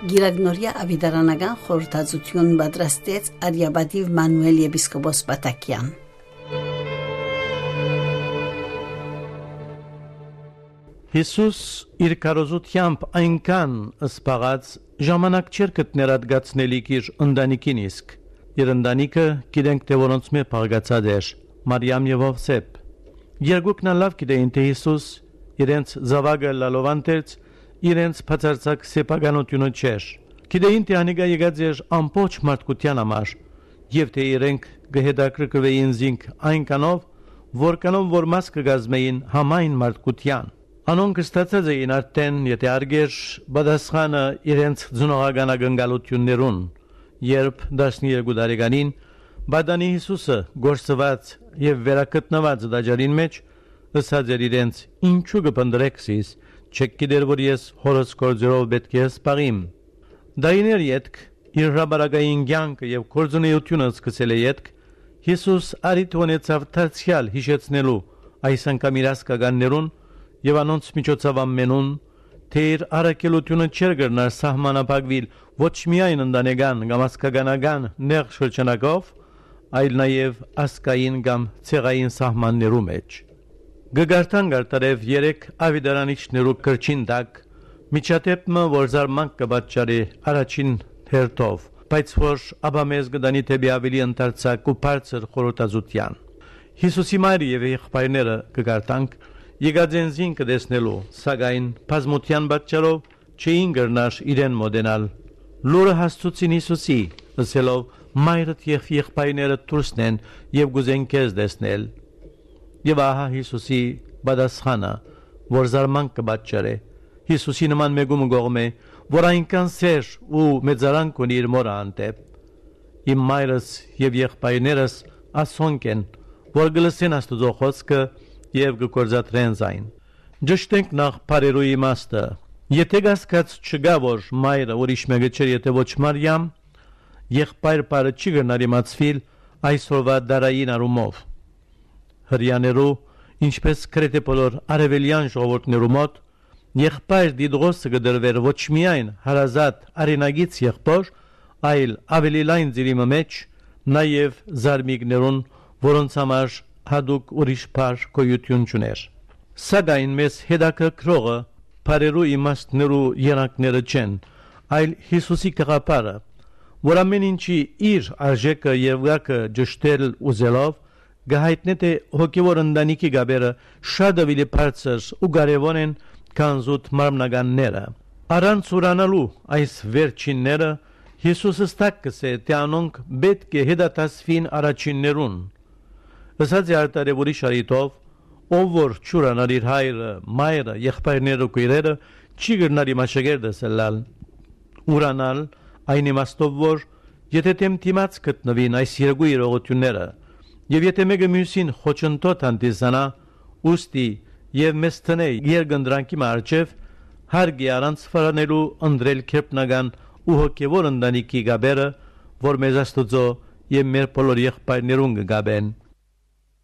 Գիրագնորյա ավիդարանական խորհրդածություն պատրաստեց Արիաբադիվ Մանուել եպիսկոպոս Պատակյան։ Հիսուս իր կարոզությամբ այնքան սպաղած ժամանակ չէր գտներ ադգացնելիք իր ընտանիքին իսկ։ Իր ընտանիքը գիտենք թե որոնց մեջ փաղկացած էր Մարիամ եւ Ովսեփ։ Երկուքն լավ գիտեին թե Հիսուս իրենց զավակը լալովանտեց իրենց բացարձակ սեփականությունը չէր։ Գիտեին թե անիկա եկած էր ամբողջ մարդկության համար եւ թե իրենք գհետաքրքրվեին զինք այնքանով որքանով որ մաս կգազմեին համայն մարդկության։ Անոնք ստացած էին արդեն եթե արգեր բադասխանը իրենց ձնողական ակնկալություններուն, երբ 12 տարեկանին Բադանի Հիսուսը գործված եւ վերակտնված դաջարին մեջ ըսած էր իրենց ինչու կփնդրեք զիս չեք գիտեր որ ես հորս գործերով պետք է սպաղիմ։ Դայներ յետք իր ռաբարագային կյանքը եւ գործունեությունը սկսել է յետք Հիսուս արիթ ունեցավ դարձյալ հիշեցնելու այս անգամ իր ասկականներուն եւ անոնց միջոցով ամենուն թե իր առաքելությունը չէր գրնար սահմանափակվել ոչ միայն ընտանեկան կամ ասկականական նեղ շրջանակով այլ նաեւ ասկային կամ ցեղային սահմաններու մեջ։ Գգարտան գարտարև 3 ավիդարանիչներու կրչին տակ միջատեպը որ զարմանք կբաճարի առաջին հերթով բայց որ աբամեզ գդանի թեպի ավելի ընդարձակ ու բարձր խորհրդածության Հիսուսի մայրը եւ եղբայրները կգարտանք եկածենզին կդեսնելու սակայն բազմության պատճառով չէին գրնար իրեն մոդենալ լուրը հասցուցին Հիսուսի ասելով մայրդ եւ եղբայրները դուրսն են եւ գուզեն քեզ դեսնել եւ ահա Հիսուսի բադասխանը որ զարմանք կբաճարե Հիսուսի նման մեգում գողմե որ այնքան սեր ու մեծարանք ունի իր մորը անտեպ իմ մայրս եւ եղբայրներս ասոնք են որ գլսեն Աստուծո խոսքը եւ գործադրեն զայն ճշտենք նախ բարերու իմաստը եթե գասկած չգա որ մայրը ուրիշ մեկը չէ եթե ոչ Մարիամ եղբայր բարը չի գնար իմացվել այսօրվա դարային արումով հрьяներու ինչպես քրեթե բոլոր արևելյան ժողովուրդներու մոտ եղբայր դիդրոսը գդրվեր ոչ միայն հարազատ արենագից եղբոր այլ ավելի լայն ձիրիմը մեջ նաև զարմիկներուն որոնց համար հadouk ուրիշ բար գոյություն չուներ սակայն մեզ հետաքրքրողը բարերու իմաստներու երակները չեն այլ Հիսուսի կղապարը որ ամեն ինչի իր արժեքը եւ գակը ճշտել ուզելով գահիտնե թե հոգևոր ընտանիքի գաբերը շատ ավելի բարձր ու կարևոր են քան զուտ մարմնականները առանց ուրանալու այս վերջինները Հիսուսը ստակսե թե անոնք պետք է հետատասվին առաջիններուն ըսած արտարե ուրիշ արիտով ով որ ճուրանալ իր հայրը մայրը եղբայրները քույրերը չի գտնարի մաշագերդս լալ ուրանալ այն իմաստով որ եթե թեմտիմաց գտնվին այս երկու իրողությունները եւ եթե մեկը մյուսին խոչընդոտ հանդիսանա ուստի եւ մեզ տնե երգնդրանքի մարջև հարգի առանց ֆարանելու ընդրել քեպնական ու հոգևոր ընտանիքի գաբերը որ մեզ Աստուծո եւ մեր բոլոր եղբայրներուն գաբեն